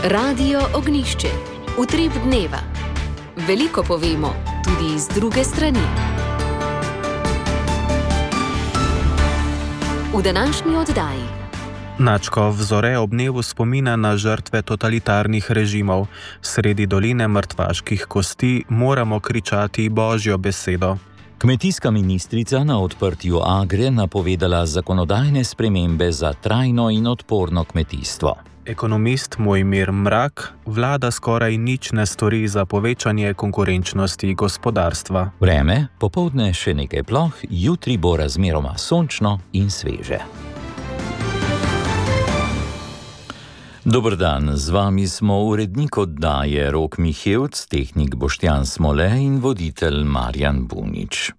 Radio Ognišče, utrip dneva. Veliko povemo, tudi iz druge strani. V današnji oddaji. Načkov Zore ob dnevu spomina na žrtve totalitarnih režimov. Sredi doline mrtvaških kosti moramo kričati Božjo besedo. Kmetijska ministrica na odprtju Agre napovedala zakonodajne spremembe za trajno in odporno kmetijstvo. Ekonomist Mojmir Mrak: vlada skoraj nič ne stori za povečanje konkurenčnosti gospodarstva. Vreme, popoldne še nekaj ploh, jutri bo razmeroma sončno in sveže. Dober dan, z vami smo urednik oddaje Rok Mihevc, tehnik Boštjan Smole in voditelj Marjan Bunič.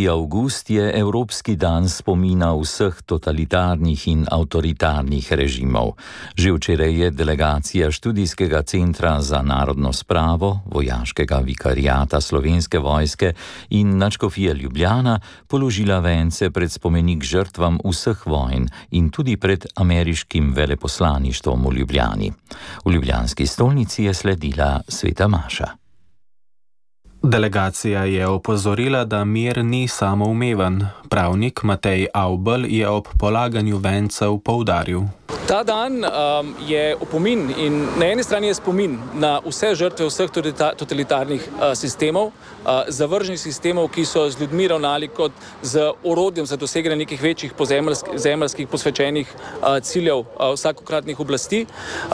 Avgust je Evropski dan spomina vseh totalitarnih in avtoritarnih režimov. Že včeraj je delegacija Študijskega centra za narodno spravo, vojaškega vikariata Slovenske vojske in nadškofije Ljubljana položila vence pred spomenik žrtvam vseh vojn in tudi pred ameriškim veleposlaništvom v Ljubljani. V ljubljanski stolnici je sledila sveta maša. Delegacija je opozorila, da mir ni samoumeven. Pravnik Matej Avbelj je ob polaganju vencev poudaril: Ta dan je opomin in na eni strani je spomin na vse žrtve vseh totalitarnih sistemov, zavržnih sistemov, ki so z ljudmi ravnali kot z orodjem za doseganje nekih večjih zemeljskih posvečenih ciljev vsakokratnih oblasti.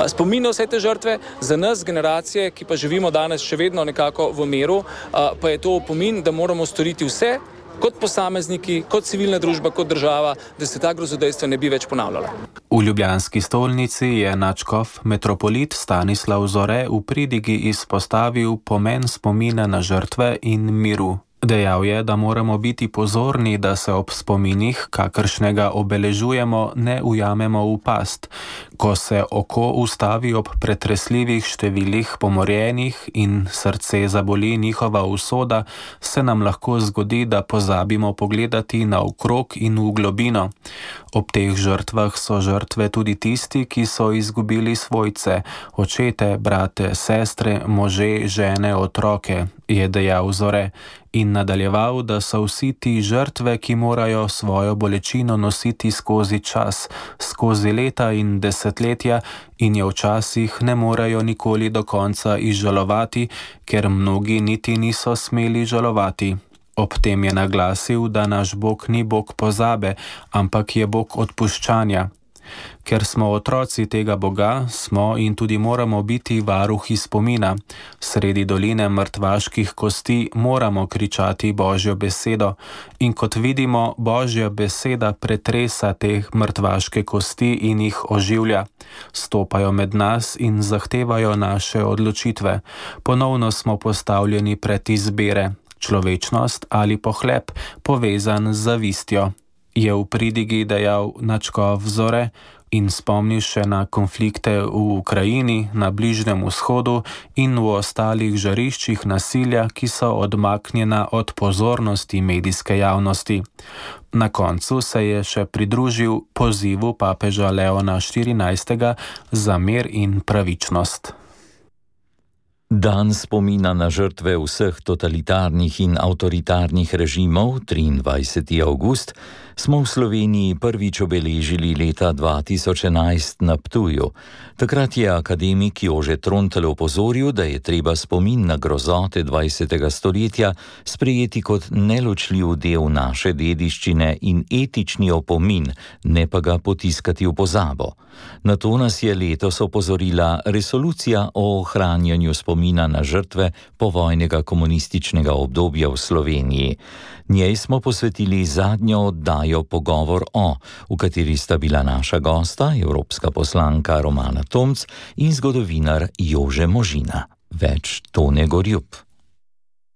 Spomin na vse te žrtve, za nas generacije, ki pa živimo danes še vedno nekako v miru, pa je to opomin, da moramo storiti vse, kot posamezniki, kot civilna družba, kot država, da se ta grozodejstva ne bi več ponavljala. V ljubljanski stolnici je nadškof metropolit Stanislav Zore v pridigi izpostavil pomen spomina na žrtve in miru. Dejal je, da moramo biti pozorni, da se ob spominih, kakršnega obeležujemo, ne ujamemo v past. Ko se oko ustavi ob pretresljivih številih pomorjenih in srce zaboli njihova usoda, se nam lahko zgodi, da pozabimo pogledati naokrog in v globino. Ob teh žrtvah so žrtve tudi tisti, ki so izgubili svojce, očete, brate, sestre, može, žene, otroke, je dejal Zore. In nadaljeval, da so vsi ti žrtve, ki morajo svojo bolečino nositi skozi čas, skozi leta in desetletja in jo včasih ne morajo nikoli do konca izžalovati, ker mnogi niti niso smeli žalovati. Ob tem je naglasil, da naš Bog ni Bog pozabe, ampak je Bog odpuščanja. Ker smo otroci tega Boga, smo in tudi moramo biti varuhi spomina. Sredi doline mrtvaških kosti moramo kričati Božjo besedo in kot vidimo, Božja beseda pretresa te mrtvaške kosti in jih oživlja. Stopajo med nas in zahtevajo naše odločitve. Ponovno smo postavljeni pred izbire, človečnost ali pohlep, povezan z zavistjo. Je v pridigi dejal nadškof Zore in spomnil še na konflikte v Ukrajini, na Bližnjem vzhodu in v ostalih žariščih nasilja, ki so odmaknjena od pozornosti medijske javnosti. Na koncu se je še pridružil pozivu papeža Leona XIV za mir in pravičnost. Dan spomina na žrtve vseh totalitarnih in avtoritarnih režimov, 23. avgust, smo v Sloveniji prvič obeležili leta 2011 na Ptuju. Takrat je akademik Jože Trontelj opozoril, da je treba spomin na grozote 20. stoletja sprejeti kot neločljiv del naše dediščine in etični opomin, ne pa ga potiskati v pozabo. Na to nas je letos opozorila resolucija o ohranjanju spomina na žrtve povojnega komunističnega obdobja v Sloveniji. Njej smo posvetili zadnjo oddajo Pogovor o, v kateri sta bila naša gosta, evropska poslanka Romana Tomc in zgodovinar Jože Možina. Več Tone Gorjup.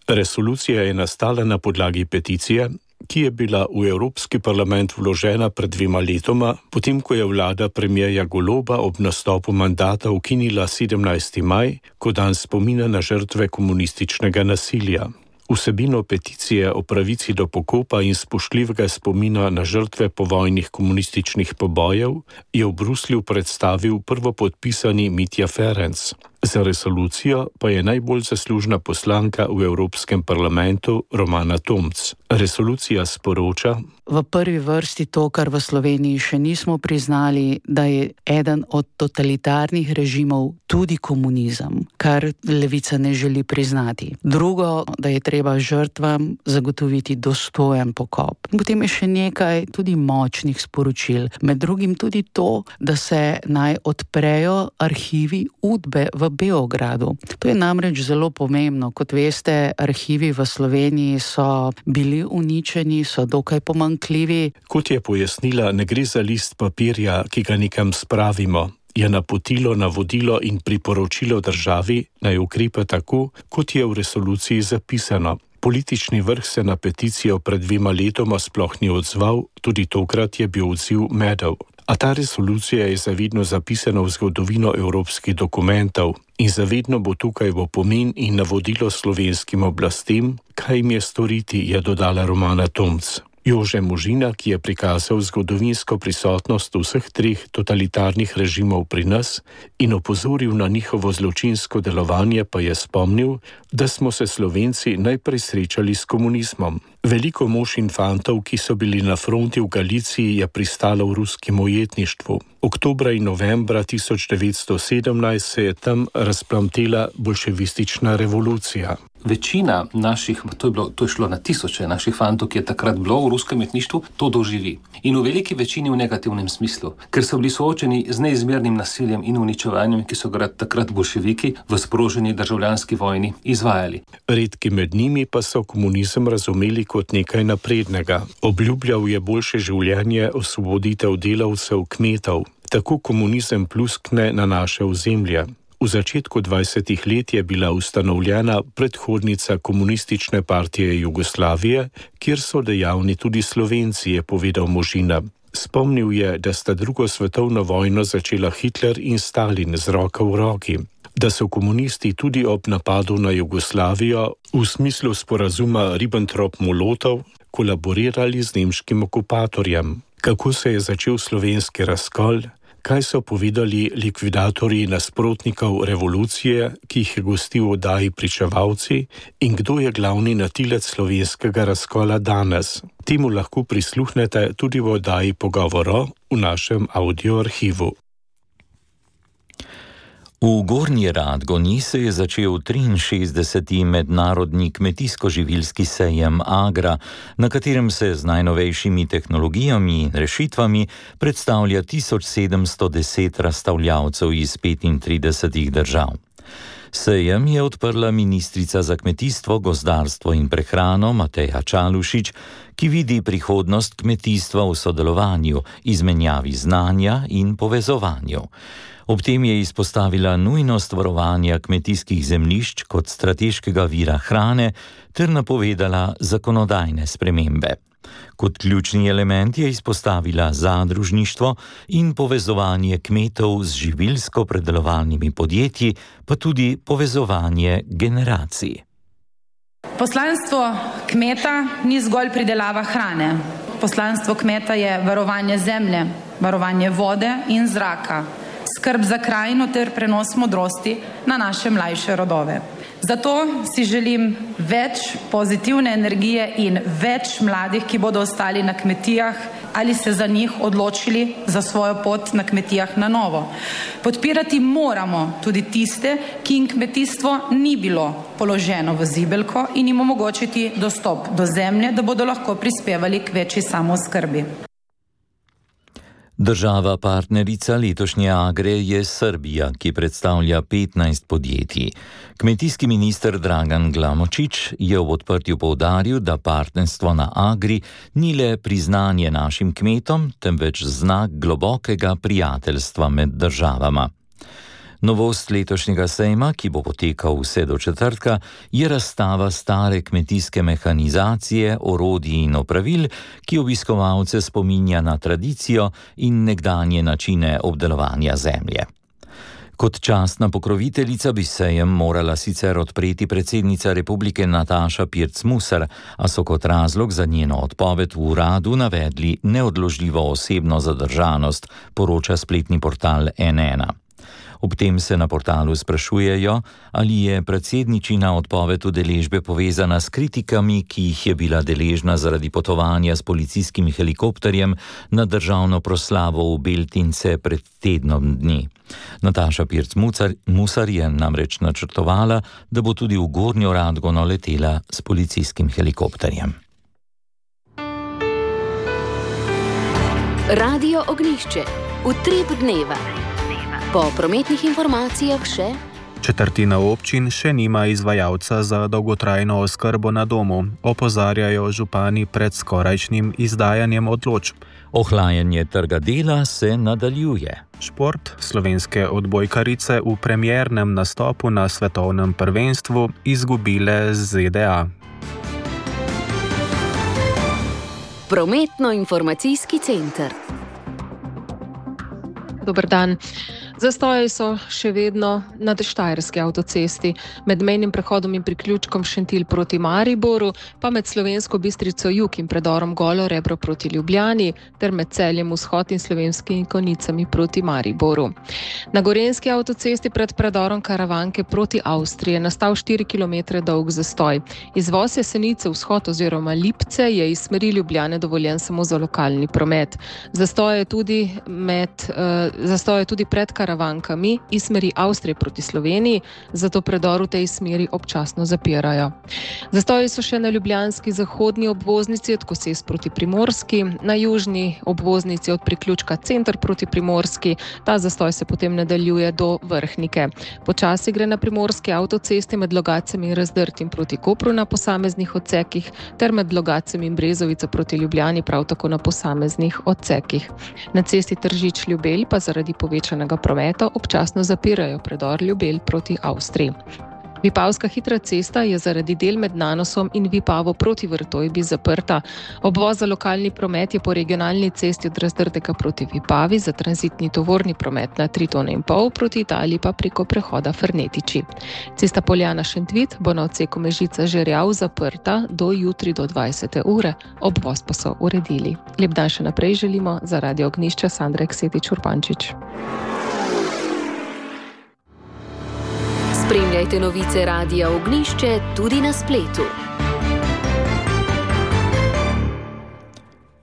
Resolucija je nastala na podlagi peticije, ki je bila v Evropski parlament vložena pred 2 letoma, potem ko je vlada premierja Goloba ob nastopu mandata ukinila 17. maj kot dan spomina na žrtve komunističnega nasilja. Vsebino peticije o pravici do pokopa in spoštljivega spomina na žrtve povojnih komunističnih pobojev je v Bruslju predstavil prvopodpisani Mitja Ferenc. Za resolucijo pa je najbolj zaslužna poslanka v Evropskem parlamentu Romana Tomc. Resolucija sporoča: v prvi vrsti to, kar v Sloveniji še nismo priznali, da je eden od totalitarnih režimov tudi komunizem, kar levica ne želi priznati. Drugo, da je treba žrtvam zagotoviti dostojen pokop. Potem je še nekaj tudi močnih sporočil. Med drugim tudi to, da se naj odprejo arhivi Udbe v Beogradu. To je namreč zelo pomembno. Kot veste, arhivi v Sloveniji so bili uničeni, so dokaj pomanjkljivi. Kot je pojasnila, ne gre za list papirja, ki ga nekam spravimo. Je napotilo, navodilo in priporočilo državi, naj ukrepa tako, kot je v resoluciji zapisano. Politični vrh se na peticijo pred 2 letoma sploh ni odzval, tudi tokrat je bil odziv medel. A ta resolucija je zavedno zapisana v zgodovino evropskih dokumentov in zavedno bo tukaj v opomin in navodilo slovenskim oblastem, kaj jim je storiti, je dodala Romana Tomc. Jože Možina, ki je prikazal zgodovinsko prisotnost vseh 3 totalitarnih režimov pri nas in opozoril na njihovo zločinsko delovanje, pa je spomnil, da smo se Slovenci najprej srečali s komunizmom. Veliko mož in fantov, ki so bili na fronti v Galiciji, je pristalo v ruskem ujetništvu. Oktobra in novembra 1917 se je tam razplamtela bolševistična revolucija. Večina naših, to je šlo na tisoče naših fantov, ki je takrat bilo v ruskem ujetništvu, to doživi. In v veliki večini v negativnem smislu, ker so bili soočeni z neizmernim nasiljem in uničevanjem, ki so ga takrat bolševiki v sproženi državljanski vojni izvajali. Redki med njimi pa so komunizem razumeli kot nekaj naprednega. Obljubljal je boljše življenje, osvoboditev delavcev, kmetov. Tako komunizem pluskne na naše ozemlje. V začetku 20. let je bila ustanovljena predhodnica Komunistične partije Jugoslavije, kjer so dejavni tudi Slovenci, je povedal Možina. Spomnil je, da sta 2. svetovno vojno začela Hitler in Stalin z roko v roki, da so komunisti tudi ob napadu na Jugoslavijo v smislu sporazuma Ribbentrop-Molotov kolaborirali z nemškim okupatorjem. Kako se je začel slovenski razkol? Kaj so povedali likvidatorji nasprotnikov revolucije, ki jih je gostil v oddaji Pričevalci, in kdo je glavni natilec slovenskega razkola danes? Temu lahko prisluhnete tudi v oddaji Pogovoro v našem audioarhivu. V Gornji Radgoni se je začel 63. mednarodni kmetijsko-živilski sejem Agra, na katerem se z najnovejšimi tehnologijami in rešitvami predstavlja 1710 razstavljavcev iz 35 držav. Sejem je odprla ministrica za kmetijstvo, gozdarstvo in prehrano Mateja Čalušić, ki vidi prihodnost kmetijstva v sodelovanju, izmenjavi znanja in povezovanju. Ob tem je izpostavila nujnost varovanja kmetijskih zemljišč kot strateškega vira hrane ter napovedala zakonodajne spremembe. Kot ključni element je izpostavila zadružništvo in povezovanje kmetov z živilsko-predelovalnimi podjetji, pa tudi povezovanje generacij. Poslanstvo kmeta ni zgolj pridelava hrane. Poslanstvo kmeta je varovanje zemlje, varovanje vode in zraka, skrb za krajino ter prenos modrosti na naše mlajše rodove. Zato si želim več pozitivne energije in več mladih, ki bodo ostali na kmetijah ali se za njih odločili za svojo pot na kmetijah na novo. Podpirati moramo tudi tiste, ki jim kmetijstvo ni bilo položeno v zibelko, in jim omogočiti dostop do zemlje, da bodo lahko prispevali k večji samooskrbi. Država partnerica letošnje Agre je Srbija, ki predstavlja 15 podjetij. Kmetijski minister Dragan Glamočić je v odprtju poudaril, da partnerstvo na Agri ni le priznanje našim kmetom, temveč znak globokega prijateljstva med državama. Novost letošnjega sejma, ki bo potekal vse do četrtka, je razstava stare kmetijske mehanizacije, orodij in opravil, ki obiskovalce spominja na tradicijo in nekdanje načine obdelovanja zemlje. Kot častna pokroviteljica bi sejem morala sicer odpreti predsednica republike Nataša Pirc Musar, a so kot razlog za njeno odpoved v uradu navedli neodložljivo osebno zadržanost, poroča spletni portal N1. Ob tem se na portalu sprašujejo, ali je predsedničina odpoved udeležbe povezana s kritikami, ki jih je bila deležna zaradi potovanja s policijskim helikopterjem na državno proslavo v Beltince pred tednom dni. Nataša Pirc Musar je namreč načrtovala, da bo tudi v Gornjo Radgono letela s policijskim helikopterjem. Radio Ognjišče. Utrip dneva. Po prometnih informacijah še: četrtina občin še nima izvajalca za dolgotrajno oskrbo na domu, opozarjajo župani pred skorajšnjim izdajanjem odločb. Ohlajanje trga dela se nadaljuje. Šport. Slovenske odbojkarice v premiernem nastopu na svetovnem prvenstvu izgubile z ZDA. Prometno-informacijski center. Dober dan. Zastoji so še vedno na štajerski avtocesti, med mejnim prehodom in priključkom Šentilj proti Mariboru, pa med Slovensko Bistrico jug in predorom Golo Rebro proti Ljubljani, ter med Celjem vzhod in Slovenskimi Konjicami proti Mariboru. Na gorenjski avtocesti pred predorom Karavanke proti Avstriji je nastal 4 km dolg zastoj. Izvoz Jesenice vzhod oziroma Lipce je iz smeri Ljubljane dovoljen samo za lokalni promet. Zastoj je tudi pred Karavankami iz smeri Avstrije proti Sloveniji, zato predor v tej smeri občasno zapirajo. Zastoji so še na ljubljanski zahodni obvoznici od Koses proti Primorski, na južni obvoznici od priključka Center proti Primorski, ta zastoj se potem nadaljuje do Vrhnike. Počasi gre na primorski avtocesti med Logacem in Razdrtim proti Kopru na posameznih odsekih, ter med Logacem in Brezovico proti Ljubljani prav tako na posameznih odsekih. Na cesti Tržič-Ljubelj pa zaradi povečanega prometa občasno zapirajo predor Ljubelj proti Avstriji. Vipavska hitra cesta je zaradi del med Nanosom in Vipavo proti Vrtojbi zaprta. Obvoz za lokalni promet je po regionalni cesti od Razdrtega proti Vipavi, za tranzitni tovorni promet na 3,5 tone proti Italiji pa preko prehoda Fernetiči. Cesta Poljana-Šentvit bo na odseku Mežica-Žerjav zaprta do jutri do 20. ure. Obvoz pa so uredili. Lep dan še naprej želimo za Radio Ognjišče, Sandra Eksetič-Urbančič. Spremljajte novice Radia Ognjišče tudi na spletu.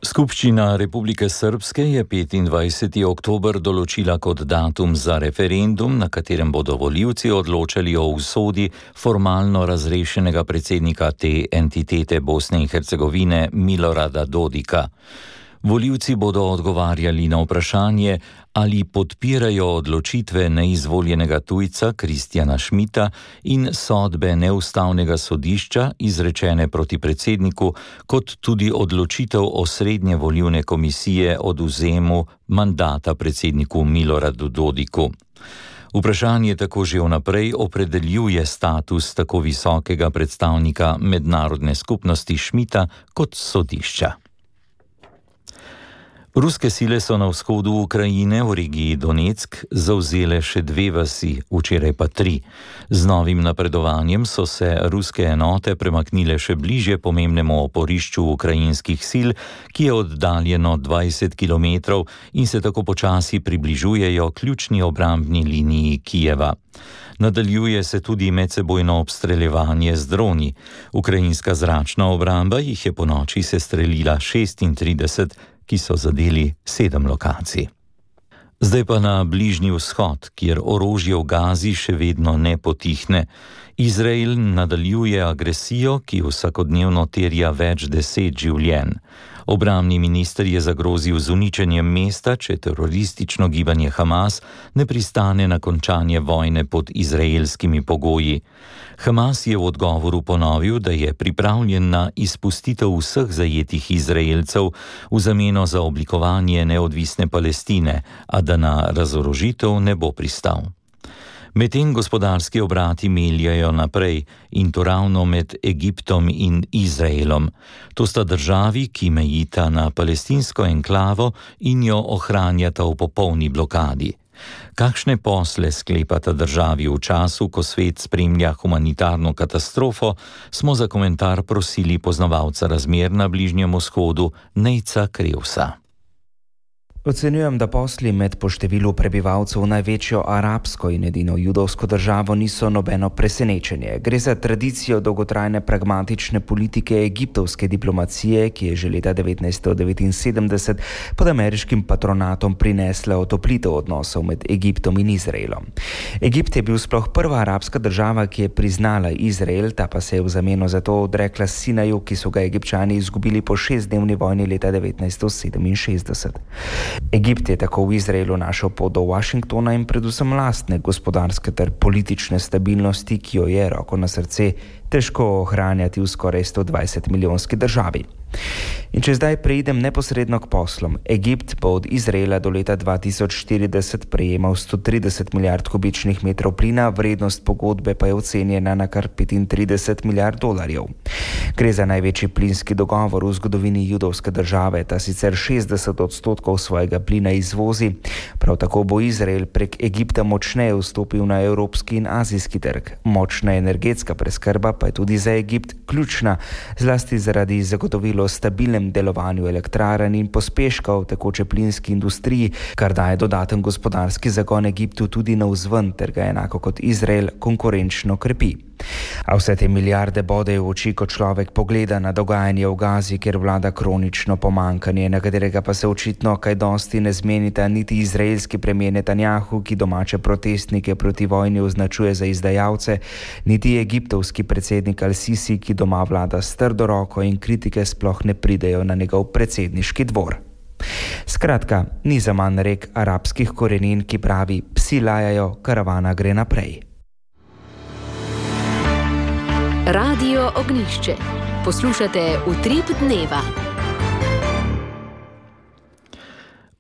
Skupščina Republike Srbske je 25. oktober določila kot datum za referendum, na katerem bodo volivci odločali o usodi formalno razrešenega predsednika te entitete Bosne in Hercegovine Milorada Dodika. Volivci bodo odgovarjali na vprašanje, ali podpirajo odločitve neizvoljenega tujca Kristjana Schmidta in sodbe neustavnega sodišča izrečene proti predsedniku, kot tudi odločitev osrednje volilne komisije o odvzemu mandata predsedniku Miloradu Dodiku. Vprašanje tako že vnaprej opredeljuje status tako visokega predstavnika mednarodne skupnosti Schmidta kot sodišča. Ruske sile so na vzhodu Ukrajine v regiji Donetsk zavzele še 2 vasi, včeraj pa 3. Z novim napredovanjem so se ruske enote premaknile še bližje pomembnemu oporišču ukrajinskih sil, ki je oddaljeno 20 km in se tako počasi približujejo ključni obrambni liniji Kijeva. Nadaljuje se tudi medsebojno obstreljevanje z droni. Ukrajinska zračna obramba jih je ponoči sestrelila 36, ki so zadeli 7 lokacij. Zdaj pa na Bližnji vzhod, kjer orožje v Gazi še vedno ne potihne. Izrael nadaljuje agresijo, ki vsakodnevno terja več 10 življenj. Obrambni minister je zagrozil z uničenjem mesta, če teroristično gibanje Hamas ne pristane na končanje vojne pod izraelskimi pogoji. Hamas je v odgovoru ponovil, da je pripravljen na izpustitev vseh zajetih Izraelcev v zameno za oblikovanje neodvisne Palestine, a da na razorožitev ne bo pristal. Medtem gospodarski obrati meljajo naprej, in to ravno med Egiptom in Izraelom. To sta državi, ki mejita na palestinsko enklavo in jo ohranjata v popolni blokadi. Kakšne posle sklepata državi v času, ko svet spremlja humanitarno katastrofo, smo za komentar prosili poznavalca razmer na Bližnjem vzhodu Nejca Krevsa. Ocenjujem, da posli med po številu prebivalcev največjo arabsko in edino judovsko državo niso nobeno presenečenje. Gre za tradicijo dolgotrajne pragmatične politike egiptovske diplomacije, ki je že leta 1979 pod ameriškim patronatom prinesla otoplitev odnosov med Egiptom in Izraelom. Egipt je bil sploh prva arabska država, ki je priznala Izrael, ta pa se je v zameno za to odrekla Sinaju, ki so ga Egipčani izgubili po 6-dnevni vojni leta 1967. Egipt je tako v Izraelu našel pot do Washingtona in predvsem lastne gospodarske ter politične stabilnosti, ki jo je, roko na srce, težko ohranjati v skoraj 120-milijonski državi. In če zdaj preidem neposredno k poslom, Egipt bo od Izraela do leta 2040 prejemal 130 milijard kubičnih metrov plina, vrednost pogodbe pa je ocenjena na kar 35 milijard dolarjev. Gre za največji plinski dogovor v zgodovini judovske države, ta sicer 60% svojega plina izvozi. Prav tako bo Izrael prek Egipta močneje vstopil na evropski in azijski trg. Močna energetska preskrba pa je tudi za Egipt ključna, zlasti zaradi zagotovilo o stabilnem delovanju elektrarn in pospeška v tekoče plinski industriji, kar daje dodaten gospodarski zagon Egiptu tudi navzven, ter ga enako kot Izrael konkurenčno krepi. A vse te milijarde bodejo v oči, ko človek pogleda na dogajanje v Gazi, kjer vlada kronično pomanjkanje, na katerega pa se očitno kaj dosti ne zmenita niti izraelski premijer Netanjahu, ki domače protestnike proti vojni označuje za izdajalce, niti egiptovski predsednik Al-Sisi, ki doma vlada s trdo roko in kritike sploh ne pridejo na njegov predsedniški dvor. Skratka, ni zaman rek arabskih korenin, ki pravi: psi lajajo, karavana gre naprej. Radio Ognjišče. Poslušate Utrip dneva.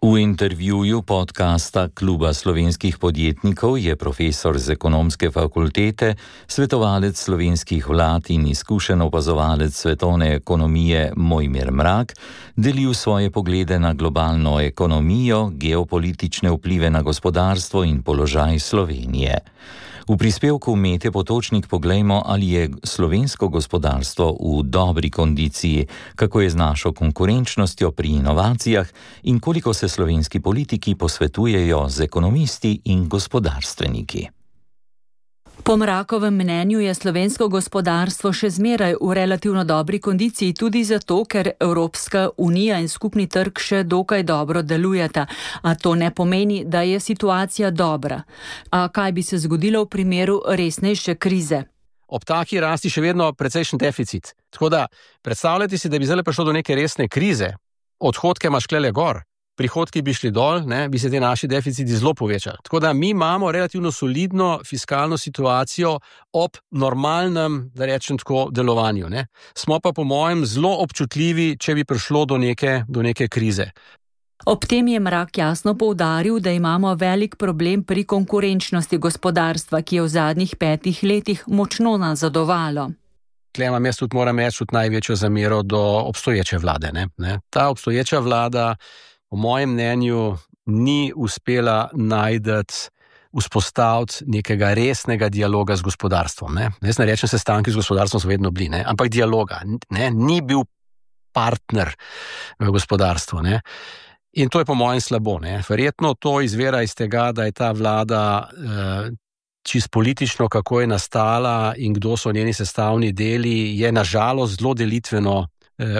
V intervjuju podcasta Kluba slovenskih podjetnikov je profesor z ekonomske fakultete, svetovalec slovenskih vlad in izkušen opazovalec svetovne ekonomije Mojmir Mrak delil svoje poglede na globalno ekonomijo, geopolitične vplive na gospodarstvo in položaj Slovenije. V prispevku Mete Potočnik poglejmo, ali je slovensko gospodarstvo v dobri kondiciji, kako je z našo konkurenčnostjo pri inovacijah in koliko se slovenski politiki posvetujejo z ekonomisti in gospodarstveniki. Po Mrakovem mnenju je slovensko gospodarstvo še zmeraj v relativno dobri kondiciji tudi zato, ker Evropska unija in skupni trg še dokaj dobro delujeta, a to ne pomeni, da je situacija dobra. A kaj bi se zgodilo v primeru resnejše krize? Ob taki rasti še vedno precejšen deficit. Tako da predstavljajte si, da bi zdaj prišlo do neke resne krize, odhodke imaš klele gor, prihodki bi šli dol, bi se te naši deficiti zelo povečali. Tako da mi imamo relativno solidno fiskalno situacijo ob normalnem, da rečem tako, delovanju. Smo pa po mojem zelo občutljivi, če bi prišlo do neke krize. Ob tem je Mrak jasno poudaril, da imamo velik problem pri konkurenčnosti gospodarstva, ki je v zadnjih 5 letih močno nazadovalo. Tukaj imam jaz tudi, moram reči, največjo zamero do obstoječe vlade. Ta obstoječa vlada po mojem mnenju ni uspela vzpostaviti nekega resnega dialoga z gospodarstvom. Jaz ne rečem, sestanki z gospodarstvom so vedno bili, ampak dialoga. Ni bil partner v gospodarstvu. In to je po mojem slabo. Verjetno to izvira iz tega, da je ta vlada čisto politično, kako je nastala in kdo so njeni sestavni deli, je nažalost zelo delitveno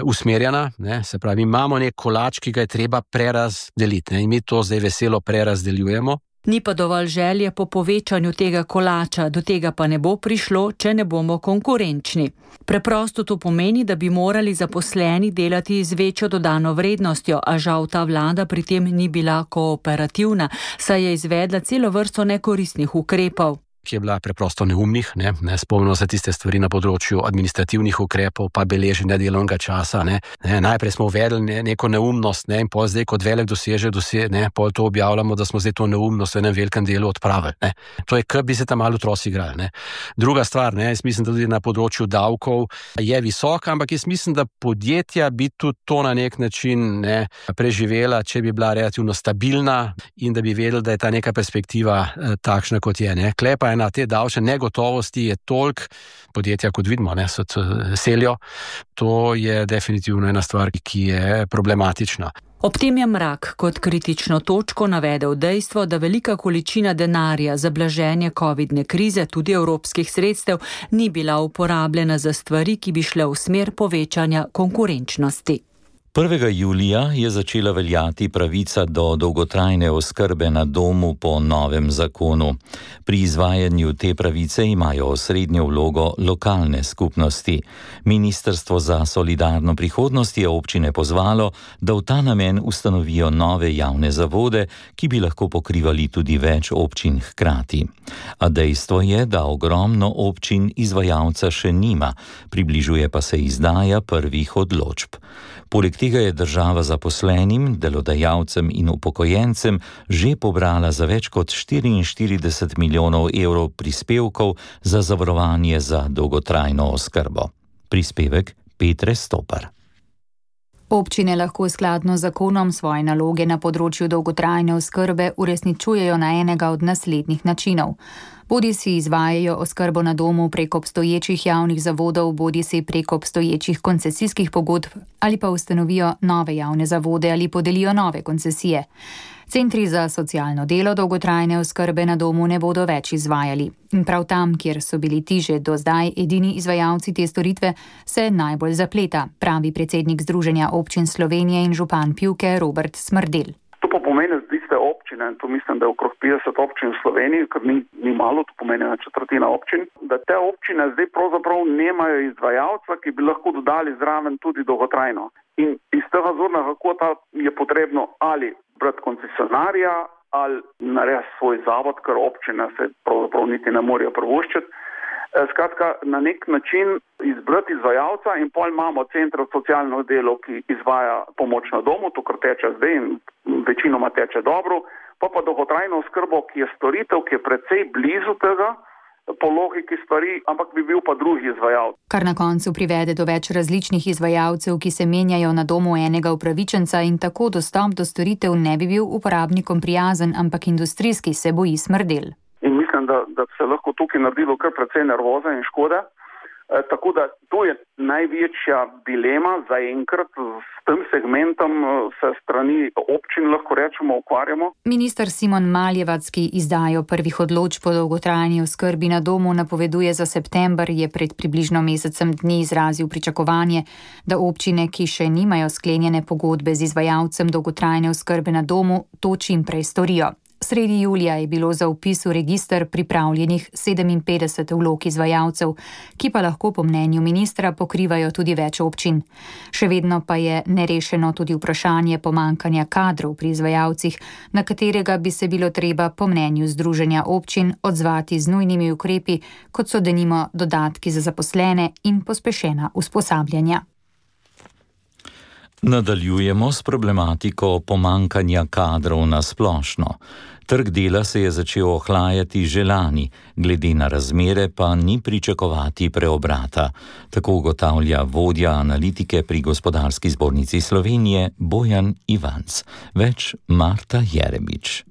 usmerjena, se pravi, imamo nek kolač, ki ga je treba prerazdeliti, in mi to zdaj veselo prerazdeljujemo. Ni pa dovolj želje po povečanju tega kolača, do tega pa ne bo prišlo, če ne bomo konkurenčni. Preprosto to pomeni, da bi morali zaposleni delati z večjo dodano vrednostjo, a žal ta vlada pri tem ni bila kooperativna, saj je izvedla celo vrsto nekoristnih ukrepov. ki je bila preprosto neumnih, ne, spomnimo se tiste stvari na področju administrativnih ukrepov, pa beleženja delovnega časa, ne. Najprej smo uvedli neko neumnost, ne, in pol zdaj kot velik dosežek, pol to objavljamo, da smo zdaj to neumnost v enem velikem delu odpravili, ne. To je, kot bi se tam malo otroci igrali, ne. Druga stvar, ne, jaz mislim, da tudi na področju davkov je visoka, ampak jaz mislim, da podjetja bi tudi to na nek način, ne, preživela, če bi bila relativno stabilna in da bi vedeli, da je ta neka perspektiva takšna, kot je, ne. Klepa na te davčne negotovosti je toliko, podjetja, kot vidimo, ne, se selijo. To je definitivno ena stvar, ki je problematična. Ob tem je Mrak kot kritično točko navedel dejstvo, da velika količina denarja za blaženje covidne krize, tudi evropskih sredstev, ni bila uporabljena za stvari, ki bi šle v smer povečanja konkurenčnosti. 1. julija je začela veljati pravica do dolgotrajne oskrbe na domu po novem zakonu. Pri izvajanju te pravice imajo osrednjo vlogo lokalne skupnosti. Ministrstvo za solidarno prihodnost je občine pozvalo, da v ta namen ustanovijo nove javne zavode, ki bi lahko pokrivali tudi več občin hkrati. A dejstvo je, da ogromno občin izvajalca še nima, približuje pa se izdaja prvih odločb. Poleg tega je država zaposlenim, delodajalcem in upokojencem že pobrala za več kot 44 milijonov evrov prispevkov za zavarovanje za dolgotrajno oskrbo. Prispevek Petre Stopar. Občine lahko skladno z zakonom svoje naloge na področju dolgotrajne oskrbe uresničujejo na enega od naslednjih načinov. Bodisi izvajajo oskrbo na domu prek obstoječih javnih zavodov, bodisi prek obstoječih koncesijskih pogodb ali pa ustanovijo nove javne zavode ali podelijo nove koncesije. Centri za socialno delo dolgotrajne oskrbe na domu ne bodo več izvajali. In prav tam, kjer so bili ti že do zdaj edini izvajalci te storitve, se najbolj zapleta, pravi predsednik Združenja občin Slovenije in župan Pivke Robert Smrdel. To pa pomeni tiste občine, in to mislim, da je okrog 50 občin v Sloveniji, ker ni malo, to pomeni na četrtina občin, da te občine zdaj pravzaprav nemajo izvajalca, ki bi lahko dodali zraven tudi dolgotrajno. In iz tega zornega kota je potrebno ali brati koncesionarja ali narediti svoj zavod, ker občine se pravzaprav niti ne morejo privoščiti. Skratka, na nek način izbrati izvajalca in pol imamo center socialno delo, ki izvaja pomoč na domu, to kar teče zdaj in večinoma teče dobro, pa dolgotrajno oskrbo, ki je storitev, ki je precej blizu tega, po logiki stvari, ampak bi bil pa drugi izvajalec. Kar na koncu privede do več različnih izvajalcev, ki se menjajo na domu enega upravičenca in tako dostop do storitev ne bi bil uporabnikom prijazen, ampak industrijski, se boji Smrdel. In mislim, da se lahko tukaj naredilo kar precej nervoza in škode. Tako da to je največja dilema zaenkrat s tem segmentom se strani občin, lahko rečemo, ukvarjamo. Minister Simon Maljevac, ki izdajo prvih odločb po dolgotrajni oskrbi na domu, napoveduje za september, je pred približno mesecem dni izrazil pričakovanje, da občine, ki še nimajo sklenjene pogodbe z izvajalcem dolgotrajne oskrbe na domu, to čim prej storijo. Sredi julija je bilo za vpis v register pripravljenih 57 vlog izvajalcev, ki pa lahko po mnenju ministra pokrivajo tudi več občin. Še vedno pa je nerešeno tudi vprašanje pomankanja kadrov pri izvajalcih, na katerega bi se bilo treba po mnenju Združenja občin odzvati z nujnimi ukrepi, kot so denimo dodatki za zaposlene in pospešena usposabljanja. Nadaljujemo s problematiko pomankanja kadrov na splošno. Trg dela se je začel ohlajati že lani, glede na razmere pa ni pričakovati preobrata. Tako ugotavlja vodja analitike pri Gospodarski zbornici Slovenije Bojan Ivanc. Več Marta Jerebič.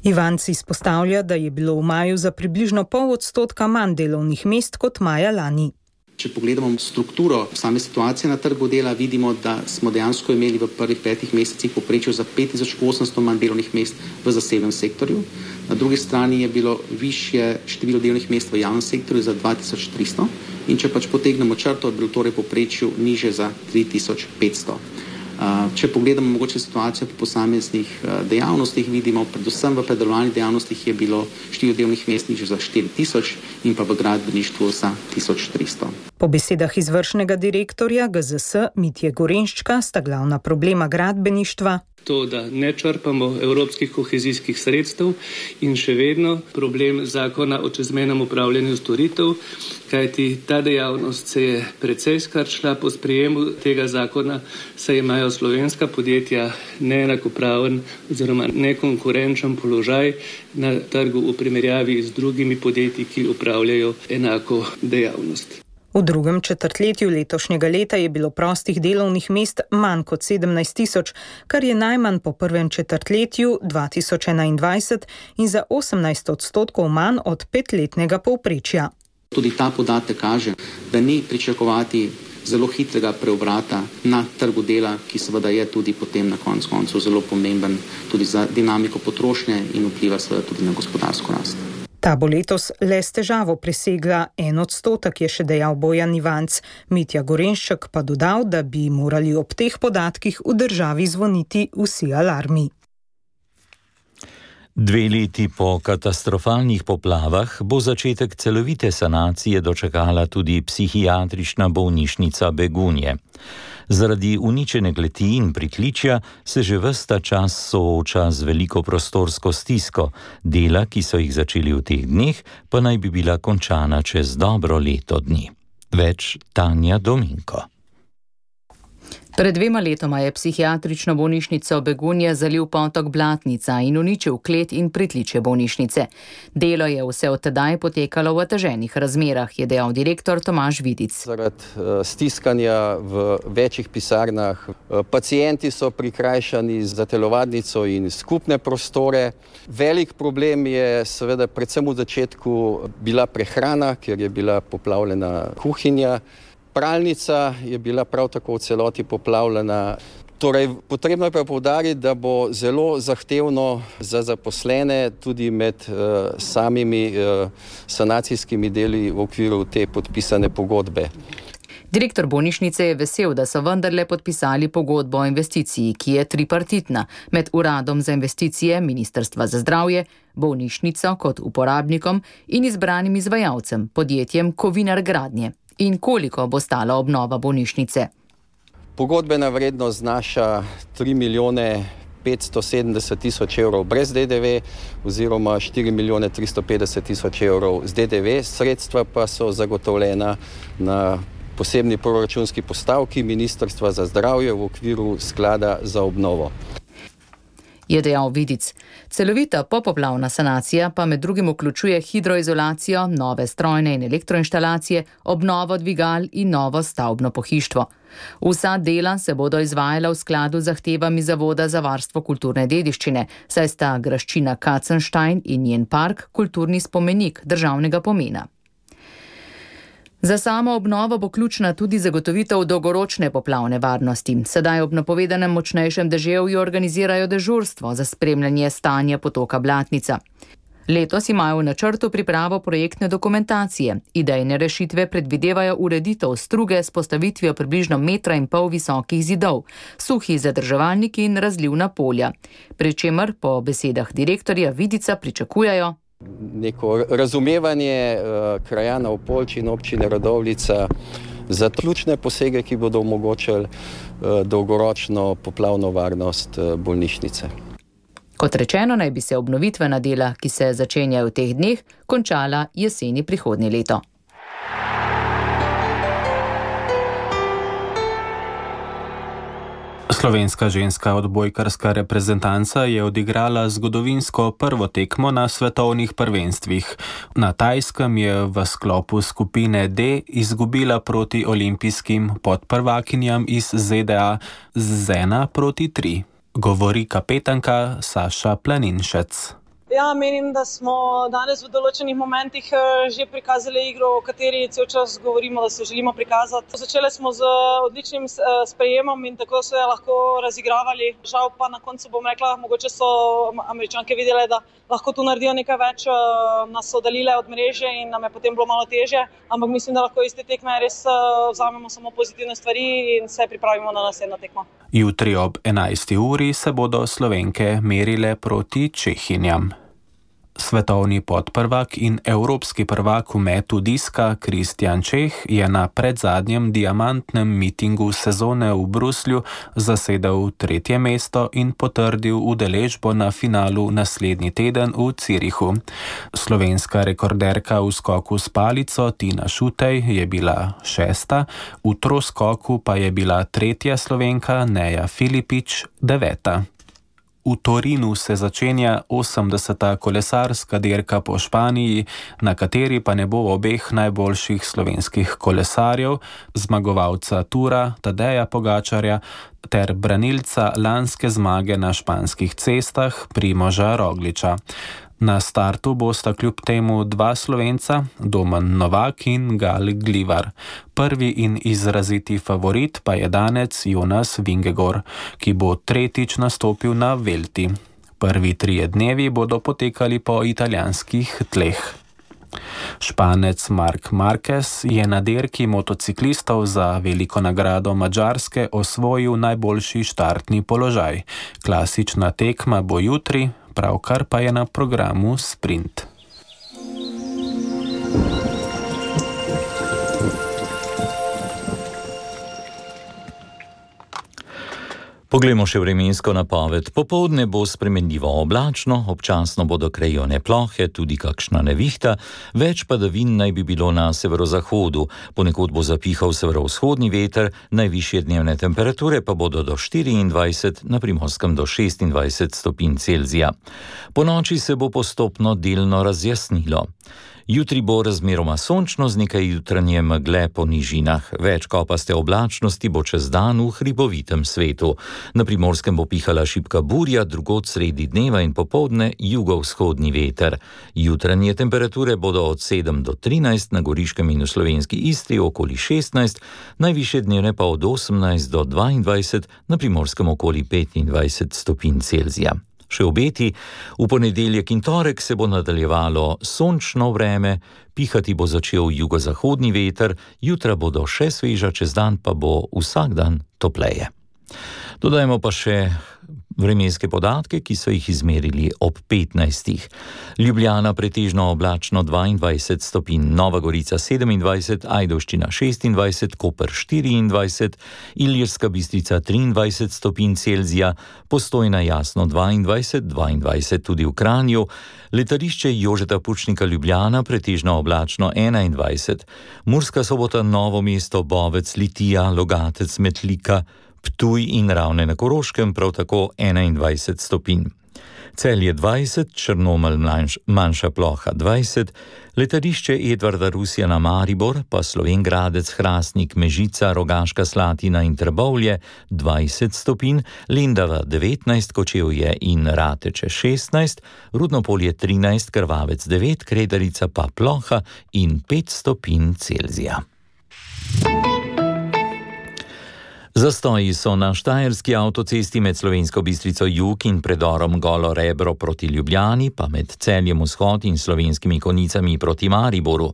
Ivanc izpostavlja, da je bilo v maju za približno 0,5% manj delovnih mest kot maja lani. Če pogledamo strukturo same situacije na trgu dela, vidimo, da smo dejansko imeli v prvih 5 mesecih povprečju za 5800 manj delovnih mest v zasebnem sektorju. Na drugi strani je bilo višje število delovnih mest v javnem sektorju za 2300 in če pač potegnemo črto, je bilo torej povprečju niže za 3500. Če pogledamo mogoče situacijo po posameznih dejavnostih, vidimo, predvsem v predelovalnih dejavnostih je bilo število delovnih mest nižje za 4000 in pa v gradbeništvu za 1300. Po besedah izvršnega direktorja GZS Mitje Gorenščka sta glavna problema gradbeništva to, da ne črpamo evropskih kohezijskih sredstev in še vedno problem zakona o čezmejnem upravljanju storitev, kajti ta dejavnost se je precej skrčila po sprejemu tega zakona, saj imajo slovenska podjetja neenakopraven oziroma nekonkurenčen položaj na trgu v primerjavi z drugimi podjetji, ki upravljajo enako dejavnost. V drugem četrtletju letošnjega leta je bilo prostih delovnih mest manj kot 17 000, kar je najmanj po prvem četrtletju 2021 in za 18% manj od 5-letnega povprečja. Tudi ta podatek kaže, da ni pričakovati zelo hitrega preobrata na trgu dela, ki seveda je tudi potem na koncu zelo pomemben tudi za dinamiko potrošnje in vpliva seveda tudi na gospodarsko rast. Ta bo letos le s težavo presegla 1%, je še dejal Bojan Ivanc. Mitja Gorenšček pa dodal, da bi morali ob teh podatkih v državi zvoniti vsi alarmi. 2 leti po katastrofalnih poplavah bo začetek celovite sanacije dočakala tudi psihiatrična bolnišnica Begunje. Zaradi uničene kleti in pritličja se že ves ta čas sooča z veliko prostorsko stisko. Dela, ki so jih začeli v teh dneh, pa naj bi bila končana čez dobro leto dni. Več Tanja Dominko. Pred 2 letoma je psihiatrično bolnišnico Begunje zalil potok Blatnica in uničil klet in pritličje bolnišnice. Delo je vse od tedaj potekalo v oteženih razmerah, je dejal direktor Tomaž Vidic. Zaradi stiskanja v večjih pisarnah, pacienti so prikrajšani za telovadnico in skupne prostore. Velik problem je seveda predvsem v začetku bila prehrana, ker je bila poplavljena kuhinja. Pralnica je bila prav tako v celoti poplavljena. Torej, potrebno je pa poudariti, da bo zelo zahtevno za zaposlene tudi med samimi sanacijskimi deli v okviru te podpisane pogodbe. Direktor bolnišnice je vesel, da so vendarle podpisali pogodbo o investiciji, ki je tripartitna med Uradom za investicije, Ministrstva za zdravje, bolnišnico kot uporabnikom in izbranim izvajalcem, podjetjem Kovinar Gradnje. In koliko bo stala obnova bolnišnice? Pogodbena vrednost znaša 3 milijone 570 tisoč evrov brez DDV oziroma 4 milijone 350 tisoč evrov z DDV. Sredstva pa so zagotovljena na posebni proračunski postavki Ministrstva za zdravje v okviru sklada za obnovo. Je dejal Vidic. Celovita popoplavna sanacija pa med drugim vključuje hidroizolacijo, nove strojne in elektroinštalacije, obnovo dvigal in novo stavbno pohištvo. Vsa dela se bodo izvajala v skladu z zahtevami Zavoda za varstvo kulturne dediščine, saj sta graščina Katzenstein in njen park kulturni spomenik državnega pomena. Za samo obnovo bo ključna tudi zagotovitev dolgoročne poplavne varnosti. Sedaj ob napovedanem močnejšem deževju organizirajo dežurstvo za spremljanje stanja potoka Blatnica. Letos imajo v načrtu pripravo projektne dokumentacije. Idejne rešitve predvidevajo ureditev struge s postavitvijo približno 1,5 metra visokih zidov, suhi zadrževalniki in razlivna polja. Pri čemer po besedah direktorja Vidica pričakujejo neko razumevanje krajanov Poljči in občine Radovljica za ključne posege, ki bodo omogočili dolgoročno poplavno varnost bolnišnice. Kot rečeno, naj bi se obnovitvena dela, ki se začenjajo v teh dneh, končala jeseni prihodnje leto. Slovenska ženska odbojkarska reprezentanca je odigrala zgodovinsko prvo tekmo na svetovnih prvenstvih. Na Tajskem je v sklopu skupine D izgubila proti olimpijskim podprvakinjam iz ZDA z 1-3. Govori kapetanka Saša Planinšec. Ja, menim, da smo danes v določenih momentih že prikazali igro, o kateri cel čas govorimo, da se želimo prikazati. Začeli smo z odličnim sprejemom in tako se lahko razigravali. Žal pa na koncu bom rekla, mogoče so Američanke videle, da lahko tu naredijo nekaj več, nas so oddaljile od mreže in nam je potem bilo malo težje. Ampak mislim, da lahko iz te tekme res vzamemo samo pozitivne stvari in se pripravimo na naslednjo tekmo. Jutri ob 11. uri se bodo Slovenke merile proti Čehinjam. Svetovni podprvak in evropski prvak v metu diska Kristjan Čeh je na predzadnjem diamantnem mitingu sezone v Bruslju zasedel 3. mesto in potrdil udeležbo na finalu naslednji teden v Zürichu. Slovenska rekorderka v skoku s palico Tina Šutej je bila 6., v troskoku pa je bila 3. Slovenka Neja Filipič 9. V Torinu se začenja 80. kolesarska dirka po Španiji, na kateri pa ne bo obeh najboljših slovenskih kolesarjev, zmagovalca Tura Tadeja Pogačarja ter branilca lanske zmage na španskih cestah Primoža Rogliča. Na startu bosta kljub temu 2 Slovenca, Domen Novak in Gal Glivar. Prvi in izraziti favorit pa je danec Jonas Vingegaard, ki bo 3. nastopil na Velti. Prvi 3 dnevi bodo potekali po italijanskih tleh. Španec Marc Marquez je na dirki motociklistov za veliko nagrado Madžarske osvojil najboljši štartni položaj. Klasična tekma bo jutri, pravkar pa je na programu sprint. Poglejmo še vremensko napoved. Popoldne bo spremenljivo oblačno, občasno bodo krajevne plohe, tudi kakšna nevihta, več padavin naj bi bilo na severozahodu. Ponekod bo zapihal severovzhodni veter, najvišje dnevne temperature pa bodo do 24, na Primorskem do 26 stopinj Celzija. Ponoči se bo postopno delno razjasnilo. Jutri bo razmeroma sončno z nekaj jutranje megle po nižinah. Več kopaste oblačnosti bo čez dan v hribovitem svetu. Na Primorskem bo pihala šibka burja, drugod sredi dneva in popoldne jugovzhodni veter. Jutranje temperature bodo od 7 do 13, na Goriškem in v slovenski Istri okoli 16, najvišje dnevne pa od 18 do 22, na Primorskem okoli 25 stopinj Celzija. Še obeti, v ponedeljek in torek se bo nadaljevalo sončno vreme, pihati bo začel jugozahodni veter, jutra bodo še sveža, čez dan pa bo vsak dan topleje. Dodajmo pa še vremenske podatke, ki so jih izmerili ob 15. Ljubljana pretežno oblačno 22 stopinj, Nova Gorica 27, Ajdovščina 26, Koper 24, Ilirska Bistrica 23 stopinj Celzija, Postojna jasno 22 tudi v Kranju, Letališče Jožeta Pučnika Ljubljana pretežno oblačno 21, Murska Sobota, Novo mesto, Bovec, Litija, Logatec, Metlika, Ptuj in Ravne na Koroškem prav tako 21 stopinj. Celje 20, Črnomelj manjša ploha 20, letališče Edvarda Rusjana Maribor, pa Slovenj Gradec, Hrastnik, Mežica, Rogaška Slatina in Trbovlje 20 stopinj, Lendava 19, Kočevje in Rateče 16, Rudnopolje 13, Krvavec 9, Kredarica pa ploha in 5 stopinj Celzija. Zastoji so na štajerski avtocesti med Slovensko Bistrico jug in predorom Golo Rebro proti Ljubljani, pa med Celjem vzhod in Slovenskimi Konjicami proti Mariboru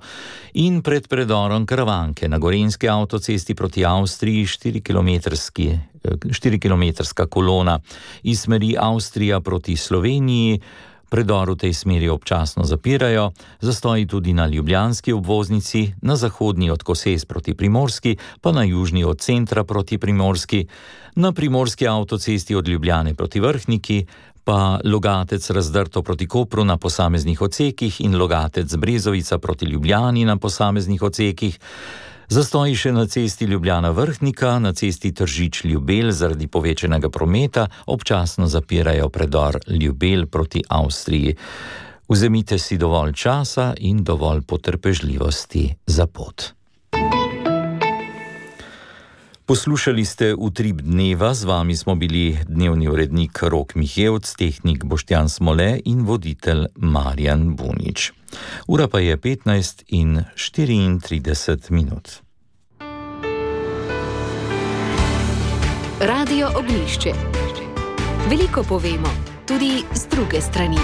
in pred predorom Krvanke na gorenjski avtocesti proti Avstriji 4-kilometrska kolona. Iz smeri Avstrija proti Sloveniji predor v tej smeri občasno zapirajo, zastoji tudi na ljubljanski obvoznici, na zahodni od Koses proti Primorski, pa na južni od centra proti Primorski, na primorski avtocesti od Ljubljane proti Vrhniki, pa Logatec Razdrto proti Kopru na posameznih odsekih in Logatec Brezovica proti Ljubljani na posameznih odsekih. Zastoji še na cesti Ljubljana-Vrhnika, na cesti Tržič-Ljubelj zaradi povečanega prometa občasno zapirajo predor Ljubelj proti Avstriji. Vzemite si dovolj časa in dovolj potrpežljivosti za pot. Poslušali ste Utrip dneva, z vami smo bili dnevni urednik Rok Mihevc, tehnik Boštjan Smole in voditelj Marjan Bunič. Ura pa je 15:34. Radio Ognjišče. Veliko povemo, tudi z druge strani.